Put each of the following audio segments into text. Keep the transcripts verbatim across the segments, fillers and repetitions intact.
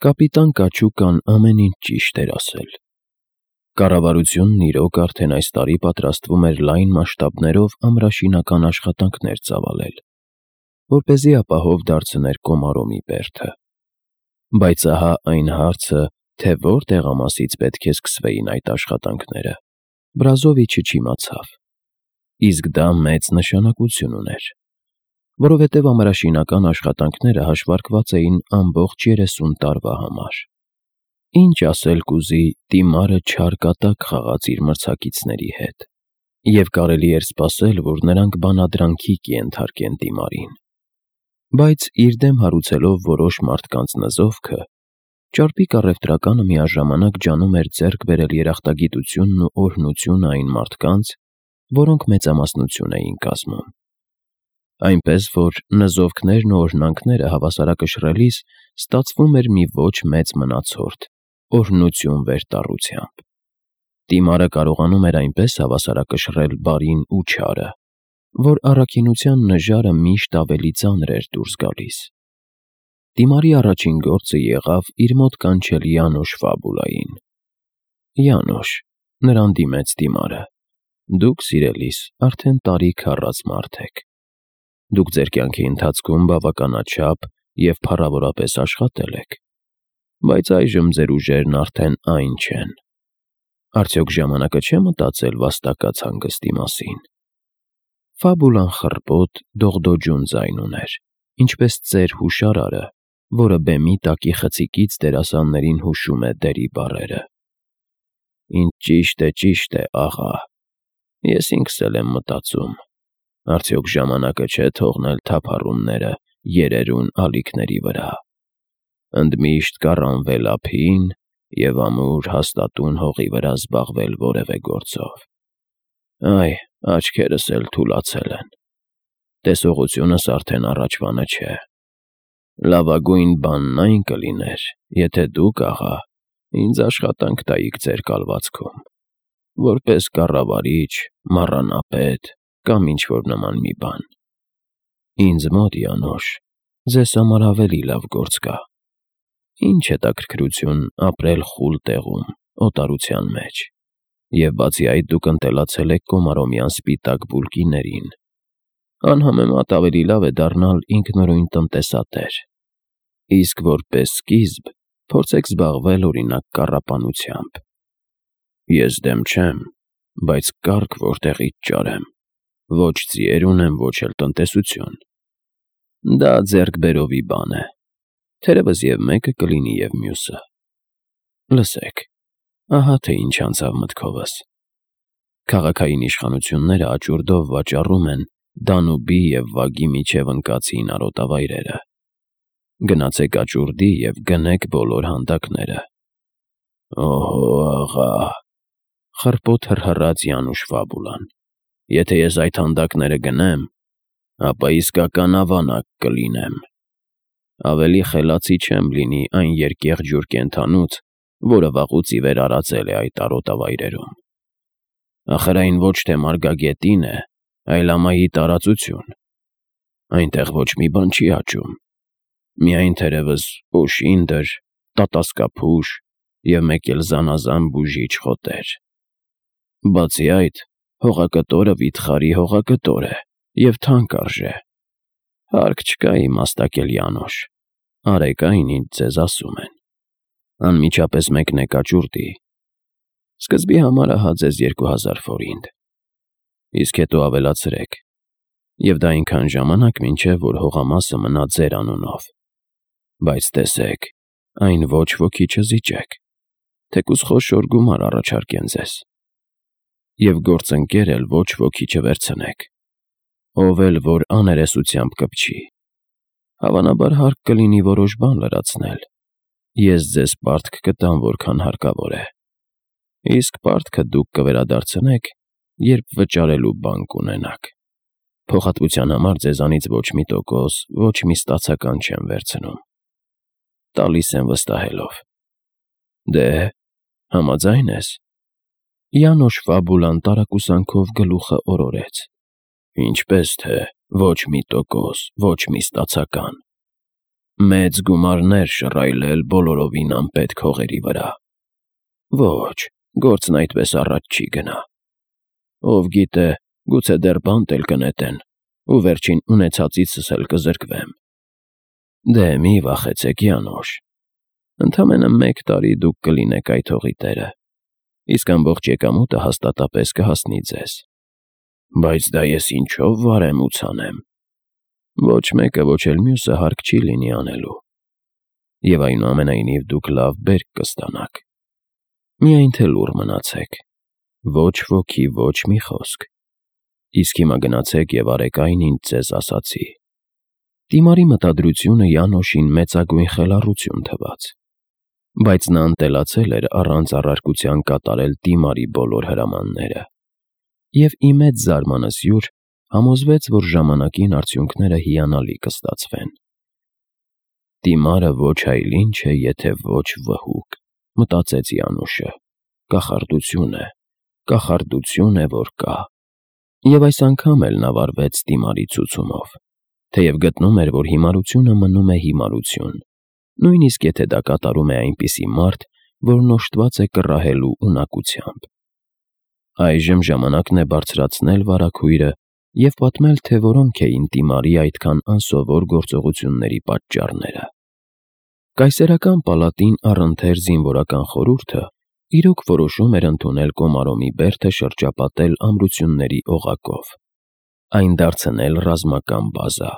Կապիտան Կաչուկան ամեն ինչ ճիշտ էր ասել։ Կառավարությունն իրոք արդեն այս տարի պատրաստվում էր լայն մասշտաբներով ամրաշինական աշխատանքներ ծավալել, որպեսզի ապահով դարձներ Կոմարոմի բերդը։ Բայց ահա այն հարցը, թե որ տեղամասից պետք է սկսվեին այդ աշխատանքները, Բրազովիչը չիմացավ։ Իսկ դա մեծ նշանակություն ուներ, որովհետև ամրաշինական աշխատանքները հաշվարկված էին ամբողջ երեսուն տարվա համար։ Ինչ ասել կուզի, Դիմարը չար կատակ խաղաց իր մրցակիցների հետ, և կարելի էր սպասել, որ նրանք բանադրանքի կենթարկեն Դիմարին։ Բայց իր դեմ հարուցելով որոշ մարդկանց նզովքը, ճարպիկ առևտրականը միաժամանակ ջանում էր ձեռք բերել երախտագիտությունն ու օրհնությունը այն մարդկանց, որոնք մեծամասնություն էին կազմում։ Այնպես որ նզովքներն ու օրհնանքները հավասարակշռելիս ստացվում էր մի ոչ մեծ մնացորդ, օրհնություն վերտառությամբ։ Դիմարը կարողանում էր այնպես հավասարակշռել բարին ու չարը, որ առաքինության նժարը միշտ ավելի ծանր էր դուրս գալիս։ Դիմարի առաջին գործը եղավ իր մոտ կանչել Յանոշ Ֆաբուլային։ «Յանոշ», նրան դիմեց Դիմարը, «դուք, սիրելիս, արդեն տարիք առած մարդ եք։ Դուք ձեր կյանքի ընթացքում բավականաչափ և փառավորապես աշխատել եք, բայց այժմ ձեր ուժերն արդեն այն չեն։ Արդյոք ժամանակը չէ մտածել վաստակած հանգստի մասին»։ Ֆաբուլան խռպոտ, դողդոջուն ձայն ուներ, ինչպես ծեր հուշարարը, որը բեմի տակի խցիկից դերասաններին հուշում է դերի բառերը։ «Ինչ ճիշտ է, ճիշտ է, աղա, ես ինքս էլ եմ մտածում. արդյոք ժամանակը չէ թողնել թափառումները երերուն ալիքների վրա, ընդմիշտ կառանվել ափին և ամուր հաստատուն հողի վրա զբաղվել որևէ գործով։ Այ, աչքերս էլ թուլացել են, տեսողությունս արդեն առաջվանը չէ։ Լավագույն բանն այն կլիներ, եթե դուք, աղա, ինձ աշխատանք տայիք ձեր կալվածքում, որպես կառավարիչ, մառանապետ կամ ինչ-որ նման մի բան։ Ինձ մոտ, Յանոշ, ձեզ համար ավելի լավ գործ կա։ Ինչ հետաքրքրություն ապրել խուլ տեղում, օտարության մեջ, և բացի այդ դուք ընտելացել եք կոմարոմյան սպիտակ բուլկիներին։ Անհամեմատ ավելի լավ է դառնալ ինքնուրույն տնտեսատեր, իսկ որպես սկիզբ փորձեք զբաղվել, օրինակ, կառապանությամբ։ Ես դեմ չեմ, բայց կառք որտեղից ճարեմ, ոչ ձիեր ունեմ, ոչ էլ տնտեսություն։ Դա ձեռքբերովի բան է, թերևս և մեկը կլինի, և մյուսը։ Լսեք, ահա թե ինչ անցավ մտքովս. քաղաքային իշխանությունները աճուրդով վաճառում են Դանուբի և Վագի միջև ընկած հին արոտավայրերը։ Գնացեք աճուրդի և գնեք բոլոր հանդակները։ Օհո, աղա, խռպոտ հռհռաց Յանուշ Ֆաբուլան, եթե ես այդ հանդակները գնեմ, ապա իսկական ավանակ կլինեմ։ Ավելի խելացի չեմ լինի այն երկեղջյուր կենդանուց, որը վաղուց ի վեր արածել է այդ արոտավայրերում։ Ախր այն ոչ թե մարգագետին է, այլ ամայի տարածություն։ Այնտեղ ոչ մի բան չի աճում, միայն թերևս օշինդր, տատասկափուշ և մեկ էլ զանազան բուժիչ խոտեր։ Բացի այդ, հողակտորը վիթխարի հողակտոր է և թանկ արժե։ Հարկ չկա իմաստակել, Յանոշ, արեք այն, ինչ ձեզ ասում են։ Անմիջապես մեկնեք աճուրդի։ Սկզբի համար ահա ձեզ երկու հազար ֆորինտ, իսկ հետո ավելացրեք, և դա այնքան ժամանակ, մինչև որ հողամասը մնա ձեր անունով։ Բայց տեսեք, այն ոչ ոքի չզիջեք, թեկուզ խոշոր գումար առաջարկեն ձեզ։ Եվ գործընկեր էլ ոչ ոքի չվերցնեք, ով էլ որ աներեսությամբ կպչի։ Հավանաբար հարկ կլինի որոշ բան լրացնել։ Ես ձեզ պարտք կտամ, որքան հարկավոր է, իսկ պարտքը դուք կվերադարձնեք, երբ վճարելու բան կունենաք։ Փոխհատվության համար ձեզանից ոչ մի տոկոս, ոչ մի ստացական չեմ վերցնում։ Տալիս եմ վստահելով։ Դե՞, համաձայն ես։ Յանոշ Ֆաբուլան տարակուսանքով գլուխը օրորեց։ Ինչպես թե ոչ մի տոկոս, ոչ մի ստացական։ Մեծ գումարներ շռայլել բոլորովին անպետք հողերի վրա։ Ոչ, գործն այդպես առաջ չի գնա։ Ով գիտե, գուցե դեռ բանտ էլ կնետեն, ու վերջին ունեցածիցս էլ կզրկվեմ։ Դե մի վախեցեք, Յանոշ, ընդամենը մեկ տարի դուք կլինեք այդ հողի տերը, իսկ ամբողջ եկամուտը հաստատապես կհասնի ձեզ։ Բայց դա ես ինչով վարեմ ու ցանեմ։ Ոչ մեկը, ոչ էլ մյուսը հարկ չի լինի անելու։ Եվ այնուամենայնիվ դուք լավ բերք կստանաք։ Միայն թե լուռ մնացեք, ոչ ոքի ոչ մի խոսք։ Իսկ հիմա գնացեք և արեք այն, ինչ ձեզ ասացի։ Դիմարի մտադրությունը Յանոշին մեծագույն խելառություն թվաց, բայց նա ընտելացել էր առանց առարկության կատարել Դիմարի բոլոր հրամանները, և ի մեծ զարմանս յուր համոզվեց, որ ժամանակին արդյունքները հիանալի կստացվեն։ Դիմարը ոչ այլ ինչ է, եթե ոչ վհուկ, մտածեց Յանուշը, կախարդություն է, կախարդություն է, որ կա։ Եվ այս անգամ էլ նա վարվեց Դիմարի ցուցումով, թեև գտնում էր, որ հիմարությունը մնում է հիմարություն, նույնիսկ եթե դա կատարում է այնպիսի մարդ, որն օժտված է կռահելու ունակությամբ։ Այժմ ժամանակն է բարձրացնել վարագույրը և պատմել, թե որոնք էին Դիմարի այդքան անսովոր գործողությունների պատճառները։ Կայսերական պալատին առընթեր զինվորական խորհուրդը իրոք որոշում էր ընդունել Կոմարոմի բերդը շրջապատել ամրությունների օղակով, այն դարձնել ռազմական բազա։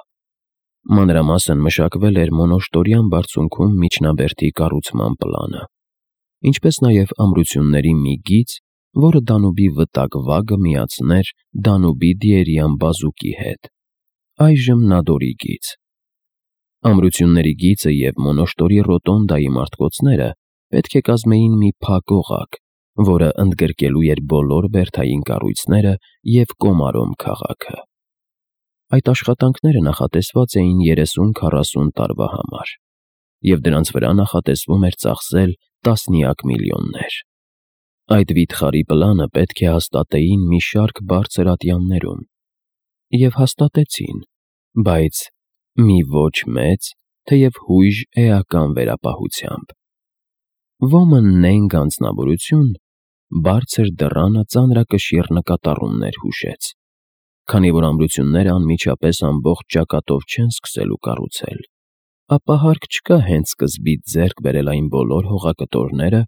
Մանրամասն մշակվել էր Մոնոշտորյան բարձունքում միջնաբերդի կառուցման պլանը, ինչպես նաև ամրությունների մի գիծ, որը Դանուբի վտակ վագը միացներ Դանուբի Դիերյան բազուկի հետ, այժմ Նադորի գիծ։ Ամրությունների գիծը և Մոնոշտորի ռոտոնդայի մարտկոցները պետք է կազմեին մի փակ օղակ, որը ընդգրկելու էր բոլոր բերդային կառույցները և Կոմարոմ քաղաքը։ Այդ աշխատանքները նախատեսված էին երեսուն֊քառասուն տարվա համար, և դրանց վրա նախատեսվում էր ծախսել տասնյակ միլիոններ։ Այդ վիթխարի պլանը պետք է հաստատեին մի շարք բարձր ատյաններում, և հաստատեցին, բայց մի ոչ մեծ, թեև հույժ էական վերապահությամբ։ Ոմն նենգ անձնավորություն բարձր դռանը ծանրակշիռ նկատառումներ հուշեց, քանի որ ամրությունները անմիջապես ամբողջ ճակատով չեն սկսելու կառուցել, ապա հարկ չկա հենց սկզբից ձեռք բերել այն բոլոր հողակտորները,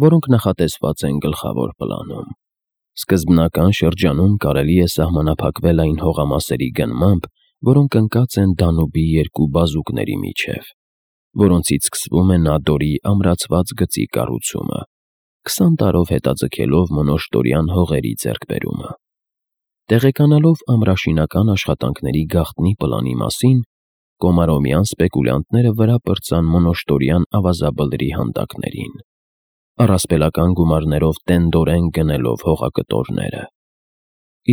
որոնք նախատեսված են գլխավոր պլանում։ Սկզբնական շրջանում կարելի է սահմանափակվել այն հողամասերի գնմամբ, որոնք ընկած են Դանուբի երկու բազուկների միջև, որոնցից սկսվում է Նադորի ամրացված գծի կառուցումը, քսան տարով հետաձգելով Մոնոշտորյան հողերի ձեռքբերումը։ Տեղեկանալով ամրաշինական աշխատանքների գաղտնի պլանի մասին, Կոմարոմյան սպեկուլյանտները վրա պրծան Մոնոշտորյան ավազաբլրի հանդակներին, առասպելական գումարներով տենդորեն գնելով հողակտորները։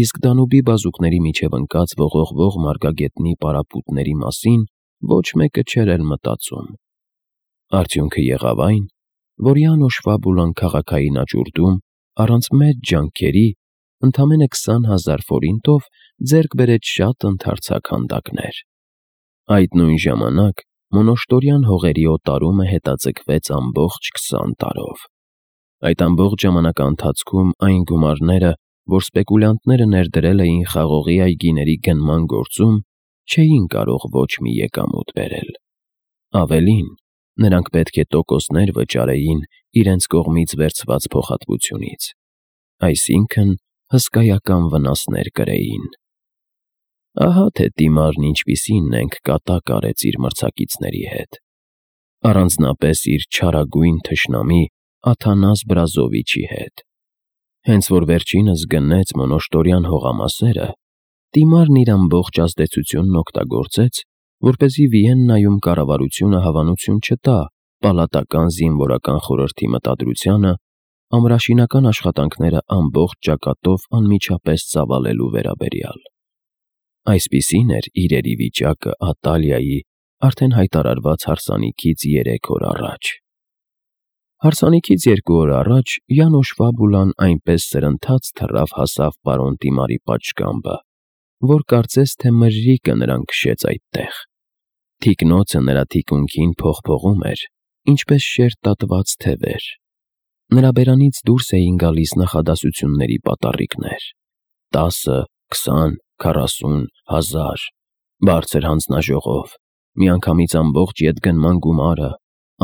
Իսկ Դանուբի բազուկների միջև ընկած ողողվող մարգագետնի պարապմունքների մասին ոչ մեկը չէր էլ մտածում։ Արդյունքը եղավ այն, որ Յանոշ Ֆաբուլան քաղաքային աճուրդում, առանց մեծ ջանքերի, ընդամենը քսան հազար ֆորինտով ձեռք բերեց շատ ընդարձակ հանդակներ։ Այդ նույն ժամանակ Մոնոշտորյան հողերի օտարումը հետաձգվեց ամբողջ քսան տարով։ Այդ ամբողջ ժամանակաընթացքում այն գումարները, որ սպեկուլյանտները ներդրել էին խաղողի այգիների գնման գործում, չէին կարող ոչ մի եկամուտ բերել։ Ավելին, նրանք պետք է տոկոսներ վճարեին իրենց կողմից վերցված փոխհատվությունից, այսինքն հսկայական վնասներ կրեին։ Ահա թե Դիմարն ինչպիսի նենգ կատակ արեց իր մրցակիցների հետ, առանձնապես իր չարագույն թշնամի Աթանաս Բրազովիչի հետ։ Հենց որ վերջինս գնեց Մոնոշտորյան հողամասերը, Դիմարն իր ամբողջ ազդեցությունն օգտագործեց, որպեսզի Վիեննայում կառավարությունը հավանություն չտա պալատական զինվորական խորհրդի մտադրությանը ամրաշինական աշխատանքները ամբողջ ճակատով անմիջապես ծավալելու վերաբերյալ։ Այսպիսին էր իրերի վիճակը Ատալիայի արդեն հայտարարված հարսանիքից երեք օր առաջ։ Հարսանիքից երկու օր առաջ Յանոշ Ֆաբուլան այնպես սրընթաց թռավ հասավ պարոն Դիմարի պատշգամբը, որ կարծես թե մրրիկը նրան քշեց այդտեղ։ Թիկնոցը նրա թիկունքին փողփողում էր, ինչպես շերտ տատված թևեր։ Նրա բերանից դուրս էին գալիս նախադասությունների պատառիկներ. տասը, քսան, քառասուն, հազար, բարձր հանձնաժողով, միանգամից ամբողջ ետգնման գումարը,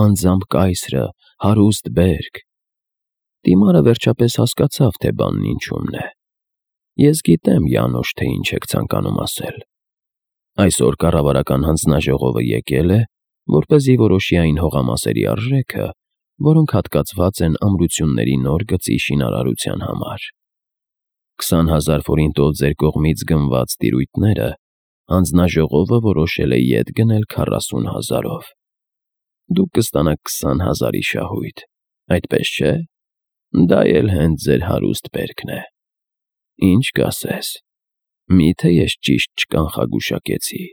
անձամբ կայսրը, հարուստ բերք։ Դիմարը վերջապես հասկացավ, թե բանն ինչումն է։ Ես գիտեմ, Յանոշ, թե ինչ եք ցանկանում ասել։ Այսօր կառավարական հանձնաժողովը եկել է, որպեսզի որոշի այն հողամասերի արժեքը, որոնք հատկացված են ամրությունների նոր գծի շինարարության համար։ Քսան հազար ֆորինտով ձեր կողմից գնված տիրույթները հանձնաժողովը որոշել է ետ գնել քառասուն հազարով։ Դուք կստանաք քսան հազարի շահույթ, այդպես չէ՞։ Դա էլ հենց ձեր հարուստ բերքն է։ Ինչ կասես։ Մի՞թե ես ճիշտ չկանխագուշակեցի։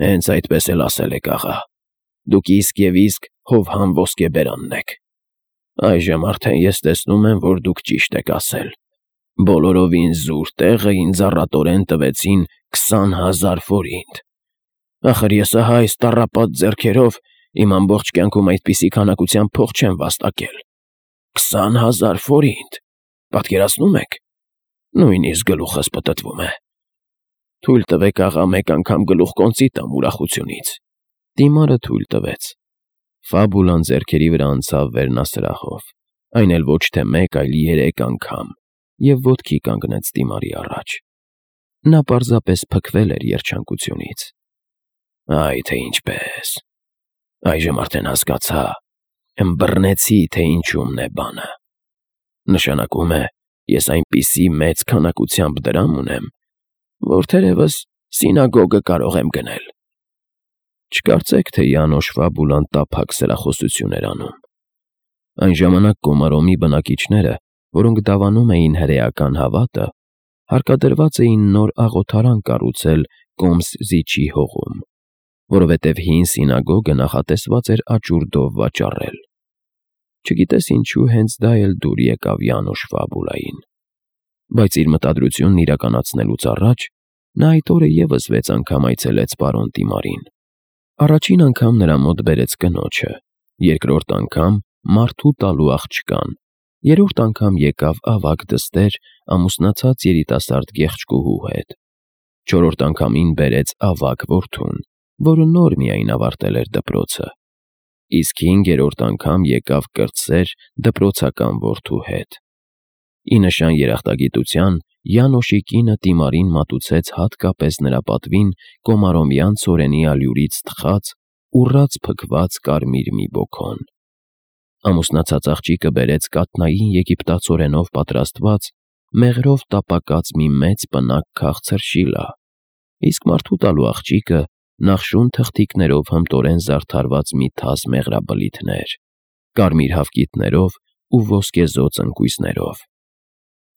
Հենց այդպես էլ ասել եք, աղա։ Դուք իսկ և իսկ հովհամ ոսկեբերանն եք։ Այժմ արդեն ես տեսնում եմ, որ դուք ճիշտ եք ասել։ Բոլորովին զուր տեղը ինձ առատորեն տվեցին քսան հազար ֆորինտ։ Ախր ես ահա այս տառապած ձեռքերով իմ ամբողջ կյանքում այդպիսի քանակությամբ փող չեմ վաստակել։ Քսան հազար ֆորինտ, պատկերացնու՞մ եք։ Նույնիսկ գլուխս պտտվում է։ Թույլ տվեք, աղա, մեկ անգամ գլուխ կոնծի տամ ուրախությունից։ Դիմարը թույլ տվեց։ Ֆաբուլան ձեռքերի վրա անցավ վերնասրահով, այն էլ ոչ թե մեկ, այլ երեք անգամ, և ոտքի կանգնեց դիմարի առաջ։ Նա պարզապես փքվել էր երջանկությունից։ Այ թե ինչպես։ Այժմ արդեն հասկացա, ըմբռնեցի, թե ինչումն է բանը։ Նշանակում է, ես այնպիսի մեծ քանակությամբ դրամ ունեմ, որ թերևս սինագոգը կարող եմ գնել։ Չկարծեք, թե Յանոշ Ֆաբուլան տափակ սրախոսություն էր անում։ Այն ժամանակ Կոմարոմի բնակիչները, որոնք դավանում էին հրեական հավատը, հարկադրված էին նոր աղոթարան կառուցել Կոմս֊Զիչի հողում, որովհետև հին սինագոգը նախատեսված էր աճուրդով վաճառել։ Չգիտես ինչու հենց դա էլ դուր եկավ Յանոշ Ֆաբուլային։ Բայց իր մտադրությունն իրականացնելուց առաջ նա այդ օրը ևս վեց անգամ այցելեց պարոն Տիմարին։ Առաջին անգամ նրա մոտ բերեց կնոջը, երկրորդ անգամ մարդու տալու աղջկան, երրորդ անգամ եկավ ավագ դստեր ամուսնացած երիտասարդ գեղեցկուհու հետ, չորրորդ անգամին բերեց ավագ որդուն, որը նոր միայն ավարտել էր դպրոցը, իսկ հինգերորդ անգամ եկավ կրտսեր դպրոցական որդու հետ։ Ի նշան երախտագիտության Յանոշի կինը Տիմարին մատուցեց հատկապես նրա պատվին կոմարոմյան ցորենի ալյուրից թխած, ուռած փքված կարմիր մի բոքոն։ Ամուսնացած աղջիկը բերեց կաթնային եգիպտացորենով պատրաստված, մեղրով տապակած մի մեծ պնակ քաղցր շիլա, իսկ մարդու տալու աղջիկը նախշուն թղթիկներով հմտորեն զարդարված մի թաս մեղրաբլիթներ, կարմիր հավկիթներով ու ոսկեզօծ ընկույզներով։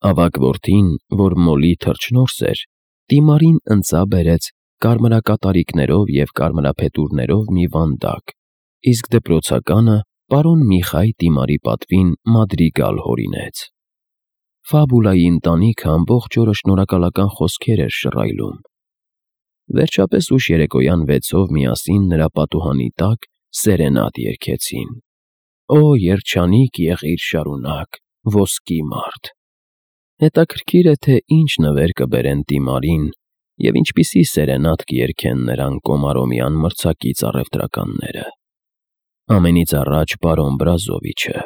Ավագ որդին, որ մոլի թռչնորս էր, Տիմարին ընծա բերեց կարմրակատարիկներով և կարմրափետուրներով մի վանդակ, իսկ դպրոցականը պարոն Միխայ Տիմարի պատվին մադրիգալ հորինեց։ Ֆաբուլայի ընտանիքը ամբողջ օրը շնորհակալական խոսքեր էր շռայլում։ Վերջապես ուշ երեկոյան վեցով միասին նրա պատուհանի տակ սերենադ երգեցին. «Օ երջանիկ եղիր շարունակ, ոսկի մարդ»։ Հետաքրքիր է, թե ինչ նվեր կբերեն Տիմարին և ինչպիսի սերենադ կերգեն նրան կոմարոմյան մրցակից առևտրականները։ Ամենից առաջ պարոն Բրազովիչը,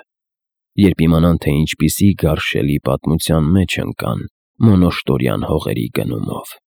երբ իմանան, թե ինչպիսի գարշելի պատմության մեջ ընկան Մոնոշտորյան հողերի գնումով։